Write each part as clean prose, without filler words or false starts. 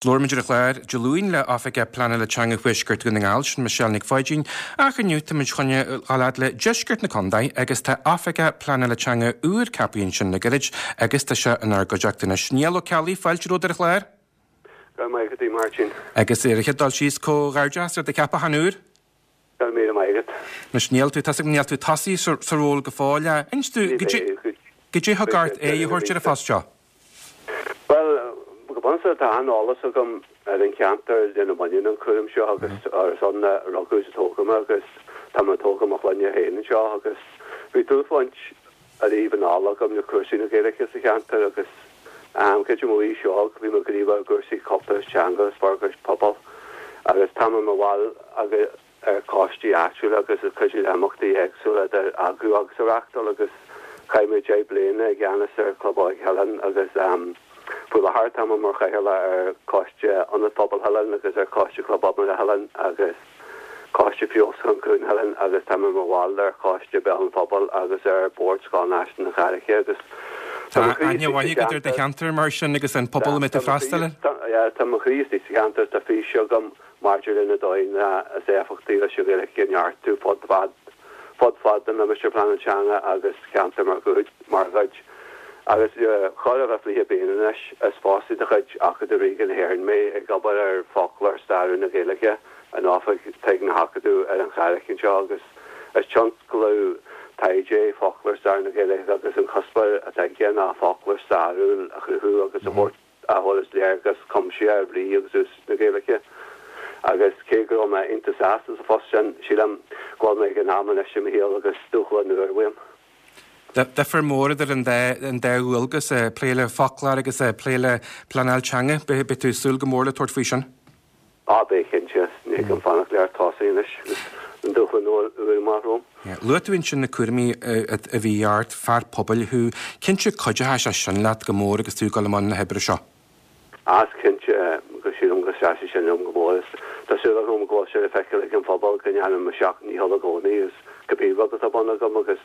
Labhair muid ar an chlár Dé Luain le Oifigeach Pleanála Teanga Thuaisceart Dhún na nGall, sin Michelle Nic Pháidín, ach inniu tá muid chun a dhul fhad le deisceart na contae agus tá Oifigeach Pleanála Teanga úr ceaptha ansin le gairid agus tá sé inár gcuideachta anois. Niall Ó Ceallaigh, fáilte romhat ar an chlár. Go raibh maith agat, a Mháirtín. Agus ar an chéad dul síos, comhghairdeas ar do cheapachán úr. Go raibh míle maith agat. Anois níl tú, tá's agam níl tú tosaithe sa ról go fóill. Inis dúinn, goidé a thug ort aghaidh a thabhairt ar an phost seo? Bhuel, go bunúsach tá an-eolas agam ar an cheantar lena mbaineann an cúram seo agus is ann a rugadh is a tógadh mé agus tá mé ag tógáil mo chlainne féin anseo agus bhí dlúthbhaint ariamh anall agam le cúrsaí na Gaeilge sa cheantar agus creidim ó aois óg bhí mé gníomhach i gcúrsaí cultúir is teanga agus forbairt pobail agus tá mé i mo bhall agus ar choistí áitiúla agus ag cuidiú le himeachtaí éagsúla idir eagrú agus a reáchtáil agus chaith mé 10 bliana i gceannas ar Chlub Óige Shaileáin agus faoi láthair tá mé mar chathaoirleach ar Choiste Ionad Pobail Shaileáin agus ar Choiste Chlub Iomána Shaileáin agus Coiste Feabhsúcháin Chuan Shaileáin agus tá mé mar bhall ar Choiste Béal an Phobail agus ar Bhord Scoil Náisiúnta na Carraice agus tá mo chroí istigh sa cheantar. do cheantar mar sin agus an pobal a mbeidh tú freastal air. Tá mo chroí istigh sa cheantar, tá fís agam maidir le na dóigheanna is éifeachtaí leis an Ghaeilge a neartú fud fad fud fad an Limistéir Pleanála Teanga agus cheantar mar mar chuid. Agus le chóir a bheith 20 bliain anois, is fostaí de chuid Acadamh Ríoga na hÉireann mé, ag obair ar Fhoclóir Stairiúil na Gaeilge in oifig atá ag na hAcadaimh ar an Charraig anseo agus is tionscnamh taighde é Foclóir Stairiúil na Gaeilge agus an cuspóir atá aige ná foclóir stairiúil a chruthú agus a thabhairt a thabharfas léargas cuimsitheach ar bhrí agus úsáid na Gaeilge. Agus cé go raibh mé iontach sásta sa phost sin, sílim go bhfuil mé ag an am anois i mo shaol agus dúshlán úr uaim. Difear mór idir an dá an dá dhualgas, plé le foclóir agus plé le pleanáil teanga. Beidh tú ag súil go mór le tabhairt faoi sin. Á, beidh cinnte. Ní thig liom fanacht le tosaí anois agus an dúshlán úr amach romham. Luaigh tú ansin na cúraimí a bhí ort, fear pobail thú. Cinnte cuideoidh sé sin leat go mór agus tú ag dul i mbun na hoibre seo. Á, is cinnte go sílim go seasfaidh sin liom go mór. Is tá súil agam go bhfuil sé le feiceáil ag an phobal go ndéanaim mo sheacht ndícheall i gcónaí agus cibé rud atá ar bun agam agus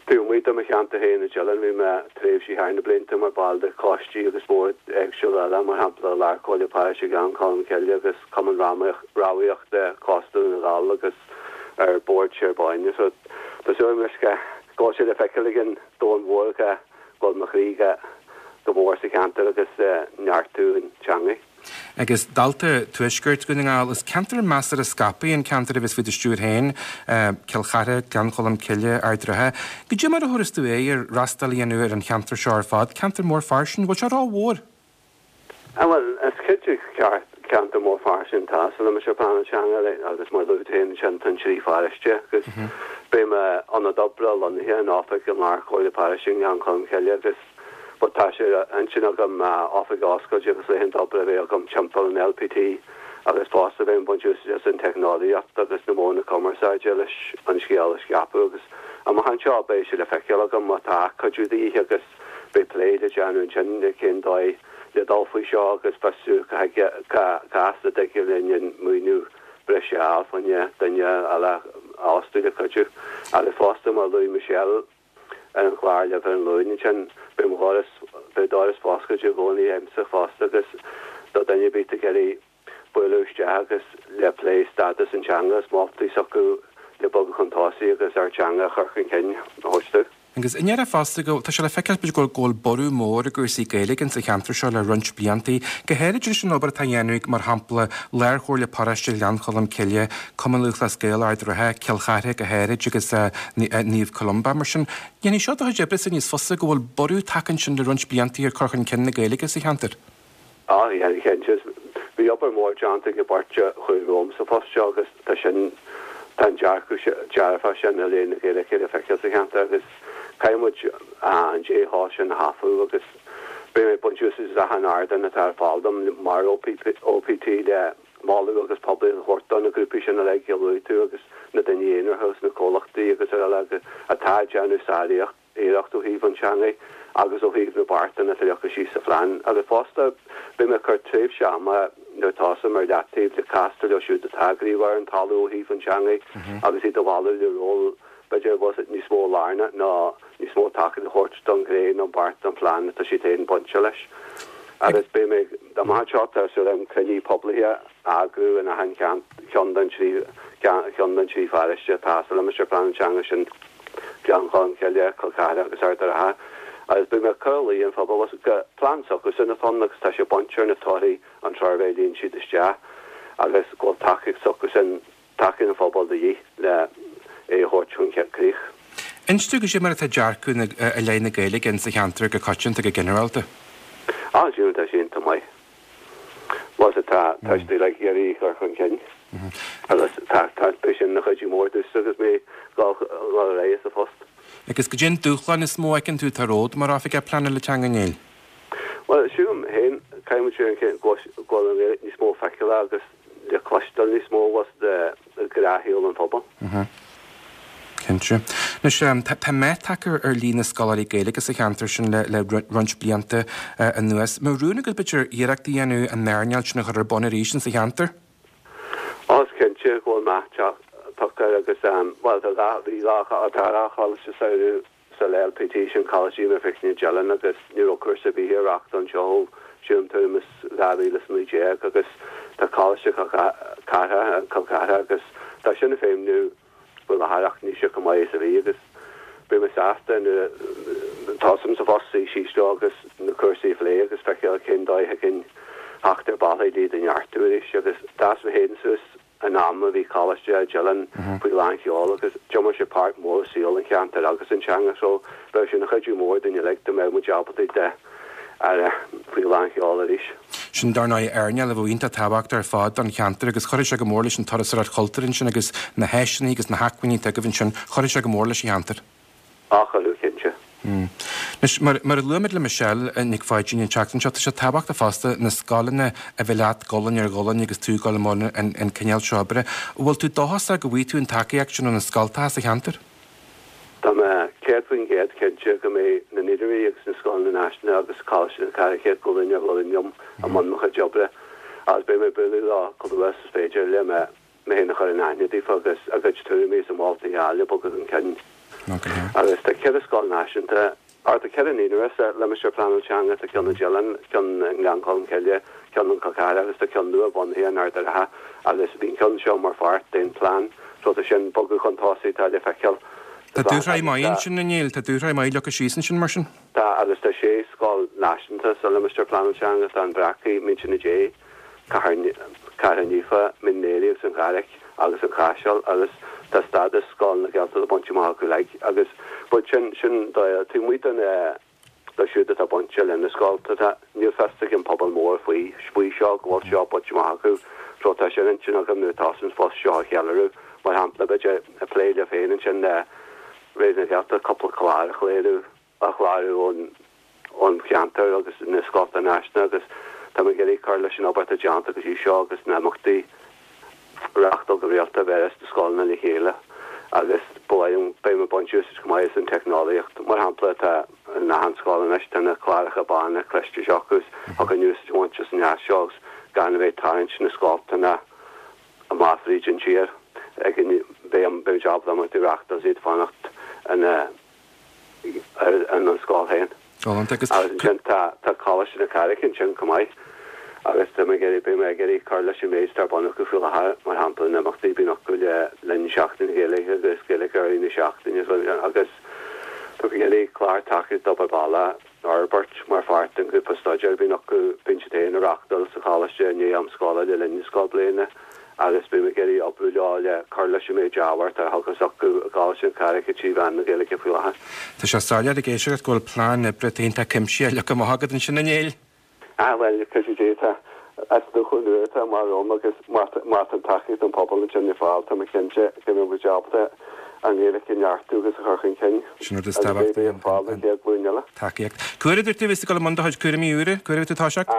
Taobh amuigh de mo cheantar féin i dTeileann, bhí mé tréimhsí thar na blianta mar ball de choistí agus boird éagsúla eile, mar shampla Lár-Chomhairle Paróiste Ghleann Cholm Cille agus Cumann Rámhaíochta Chósta Dhún na nGall agus ar Bhord Séar Báine. So tá súil agam anois go bhfuil sé le feiceáil ag an domhan mhór go bhfuil mo chroí go mór sa cheantar agus neartú an teangaidh. Agus dalta Tuaisceart Dhún na nGall, is ceantar measartha scaipthe an ceantar a bheas faoi do stiúir féin, Cill Chartha, Gleann Cholm Cille, Ard an Rátha. Goidé mar a thabharfas tú aghaidh ar fhreastal a dhéanamh ar an cheantar seo ar fad, ceantar mór fairsing, bhfuil sé rómhór? Bhuel, is cinnte ceantar mór fairsing atá sa Limistéar Pleanála Teanga agus mar a luaigh tú féin ansin tá an trí pharóiste agus beidh m'ionad oibre lonnaithe in oifig an Lár-Chomhairle Paróiste i nGleann Cholm Cille agus But tá sé ar intinn agam m'oifig a oscailt agus laethanta oibre a bheith agam timpeall an LPT agus fosta bheinn ag baint úsáid as an teicneolaíocht agus na modhanna cumarsáide leis an scéal a scaipeadh agus amach anseo beidh sé le feiceáil agam má tá cuidiú de dhíth agus beidh plé le déanamh ansin le cén dóigh le dul faoi seo agus fiosrú cá as a dtig linn an maoiniú breise a fháil fá choinne duine eile a fhostú le cuidiú agus fosta mar a luaigh Michelle ar an chlár libh ar an Luan ansin. Beidh mo dhoras, beidh doras foscailte i gcónaí agamsa fosta agus do duine ar bith atá ag iarraidh bualadh isteach agus le plé stádas an teanga is moltaí s'acu le bogadh chun tosaigh agus ár teanga a chur chun cinn a thabhairt dúinn. Agus i ndeireadh fosta go, tá sé le feiceáil b'fhéidir go bhfuil borradh mór i gcúrsaí Gaeilge insa cheantar seo le roinnt bliantaí, go háirid leis an obair atá á dhéanamh ag, mar shampla, Lárchomhairle Paróiste Ghleann Cholm Cille, Cumann Lúthchleas Gael Ard an Rátha, Cill Chartha go háirid agus Naomh Columba. Mar sin, dhéanfaidh seo do chuid oibrese níos fusa go bhfuil borradh tagtha ansin le roinnt bliantaí ar cur chun cinn na Gaeilge sa cheantar. Á, dhéanfaidh cinnte. Bhí obair mhór déanta ag an bheirt a chuaigh romham sa phost seo agus tá sin, tá an dearcadh dearfach sin i leith na Gaeilge le feiceáil sa cheantar agus caithfidh muid an dea-thoil sin a thapú agus beidh mé ag baint úsáid as achan ardán atá ar fáil dom mar OPT le moladh agus poiblíocht a thabhairt do na grúpaí sin uilig a luaigh tú agus na daoine aonaracha agus na comhlachtaí agus araile atá ag déanamh sáriarracht ó thaobh an teangaidh agus ó thaobh na beartanna atá leagtha síos sa phlean. Agus fosta, beidh mé ag cur tréimhse ama nuair a thosaím ar leataobh le castáil leo siúd atá gníomhach ar an talamh ó thaobh an teangaidh agus iad a mhealladh le ról b'fhéidir a bheadh níos mó lárnach ná níos mó tacaíocht a thabhairt don ghné nó beart don phlean atá siad féin bainte leis. Agus beidh mé, amach anseo, tá súil agam cruinniú poiblithe a eagrú in achan cheann den trí cheann den trí pharóiste atá sa Limistéar Pleanála Teanga sin, Gleann Cholm Cille, Col Cartha agus Ard an Rátha. Agus beidh mé ag cur a luí ar an phobal gur plean s'acusan atá ann agus tá sé bainte ar na torthaí an tsuirbhé a líon siad isteach agus go bhfuil tacaíocht s'acusan tacaíocht an phobail de dhíth le é a thabhairt chun críche. Inis dúinn goidé mar atá dearcadh i leith na Gaeilge in sa cheantar go coitianta, go ginearálta. Á, sílim tá sé iontach maith. Bhuel, tá, tá siad uilig ag iarraidh í a chur chun cinn agus tá, tá, beidh sin ina chuidiú mór domhsa agus mé ag dul ar aghaidh sa phost. Agus goidé an dúshlán is mó a fheiceann tú atá romhat mar Oifigeach Pleanála Teanga, a Néill? Bhuel, sílim féin, caithfidh muid go bhfuil an Ghaeilge níos mó feiceála agus le cloisteáil níos mó abhus de ghnáthshaol an phobail. Cinnte. Anois, tá meath tagtha ar líon na scoláirí Gaeilge sa cheantar sin le roinnt blianta anuas. An mbeadh rún agat, b'fhéidir, iarracht a dhéanamh an earnáil sin a chur ar bun arís insa cheantar? Ó, is cinnte go bhfuil meath tagtha air agus, bhuel, tá dhá, bhí dhá, tá dhá choláiste samhraidh Sa LPT sin Coláiste Íomha Faicne Dillon agus ní raibh cúrsa ar bith á reáchtáil anseo ó sílim tuairim is 2019 agus tá Coláiste Chill Chartha, Cill Chartha agus tá sin ag feidhmniú faoi láthair ach níl sé chomh maith is a bhí agus beidh mé sásta nuair a tosaím sa phost suí síos leo agus na cúrsaí a phlé agus feiceáil cén dóigh a thig linn theacht ar bealaí le iad a neartú arís agus d'fhás mé féin suas in am a bhí Coláiste Dillon faoi lán sheol agus d'imir sé páirt mhór i saol an cheantair agus an teanga so bheadh sé ina chuidiú mór dúinn uilig dá mbeadh muid ábalta iad a fháil faoi lán sheol arís. Sin dar ndóigh earnáil a bheadh iontach tábhachtach ar fad don cheantar agus chuirfeadh sé go mór leis an turasóireacht chultúir ansin agus na háiseanna agus na hacmhainní atá agaibh ansin, chuirfeadh sé go mór leis an cheantar. Á chuirfeadh, cinnte. Anois, mar a luaigh muid le Michelle Nic Pháidín an tseachtain seo, tá sé tábhachtach fosta na scoileanna a bheith leat gualainn ar ghualainn agus tú ag dul i mbun an cineál seo oibre. An bhfuil tú dóchasach go bhfaighidh tú an tacaíocht sin ó na scoltacha sa cheantar? Tá mé 100% cinnte go mbeidh na naíonraí agus na scoileanna náisiúnta agus Coláiste na Carraiche gualainn ar ghualainn liom i mbun mo chuid oibre agus beidh mé ag bualadh leo chomh luath is is féidir le mé mé féin a chur in aithne daofa agus a gcuid tuairimí is a moltaí a fháil le bogadh chun cinn. Agus tá ceithre scoil náisiúnta, or tá ceithre naíonra sa Limistéar Pleanála Teanga, tá ceann i Dillon, ceann i nGleann Cholm Cille, ceann in Col Cartha agus tá ceann nua bunaithe in Ard an Rátha agus bhí an ceann seo mar pháirt den phlean so tá sin bogadh chun tosaigh tá le feiceáil Tá dúshraith maith ansin, a Néill, tá dúshraith maith leagtha síos ansin mar sin. Tá, agus tá sé scoil náisiúnta sa Limistéar Pleanála Teanga, tá an Bhreacaigh, Muintir na Dé, Cathair Naofa, Mín Léirigh agus an Charraic agus an Chaiseal agus tá stádas Scoil na Gaeltachta bainte amach acu uilig agus but sin, sin taobh amuigh de na, leo siúd atá bainte le na scoltacha, níl fios ag an pobal mór faoi, faoi seo, go bhfuil seo bainte amach acu so tá sé ar intinn agam nuair a tosaím sa phost seo a cheiliúradh, mar shampla b'fhéidir ag plé libh féin ansin le Raidió na Gaeltachta cúpla clár a chléiriú. a chlárú ón cheantar agus na scoltacha náisiúnta agus tá mé ag iarraidh cur leis an obair atá déanta go dtí seo agus na himeachtaí a reáchtáil go rialta a bheireas na scoileanna le chéile agus ba mhaith liom, beidh mé ag baint úsáid chomh maith as an teicneolaíocht. Mar shampla tá in achan scoil anois tá na cláracha bána cliste seo acu agus thiocfadh úsáid a bhaint as an leas seo agus gan a bheith ag tarraingt na scoltacha amach fríd an tír ag an beidh muid ábalta imeachtaí a reáchtáil is iad fanacht ina ar an scoil féin. Galánta. Agus ansin tá tá Coláiste na Carraice ansin chomh maith agus tá mé ag iarraidh, beidh mé ag iarraidh cur leis an méid atá ar bun acu faoi láthair, mar shampla na himeachtaí a bhíonn acu le linn Seachtain na Gaeilge agus Gaeilge i rith na seachtaine agus tá mé ag iarraidh clár tacaíochta d'obair bhaile a fhorbairt mar pháirt den ghrúpa staidéir a bhíonn acu, bíonn siad féin á reáchtáil sa choláiste i ndiaidh am scoile le linn na scoilbhliana. agus beidh mé ag iarraidh oibriú leo le cur leis an méid ábhair atá á theagasc acu i gColáiste na Carraice trí mheán na Gaeilge faoi láthair. Tá sé soiléir ag éisteacht leat go bhfuil plean oibre atá iontach cuimsitheach leagtha amach agat ansin, a Néill. Ah, bhuel, le cuidiú Dé, tá is dúshlán nua atá amach romham agus má tá an tacaíocht ón pobal ansin ar fáil, tá mé cinnte go mbeidh muid ábalta an Ghaeilge a neartú agus a chur chun cinn Sin rud is agus beidh tábhachtaí, ar fáil don chéad ghlúin eile. tacaíocht. Cá huair a dúirt tú a bheas tú ag dul i mbun do chuid cúraimí úra? Cá huair a bheidh tú ag toiseacht?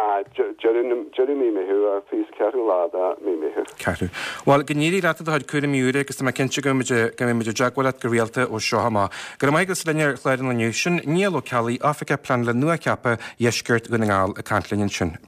Deireadh mí Meitheamh, an 24ú lá de mí Meitheamh. Ceathrú. Bhuel, go n-éirí leat i do chuid cúraimí úra agus tá mé cinnte go mbeidh muid i dteagmháil leat go rialta ó seo amach. Go raibh maith agat as linn ar chlár an lae inniu. Sin Niall Ó Ceallaigh, Oifigeach Pleanála nua-cheaptha Dheisceart Dhún na nGall ag caint linn ansin.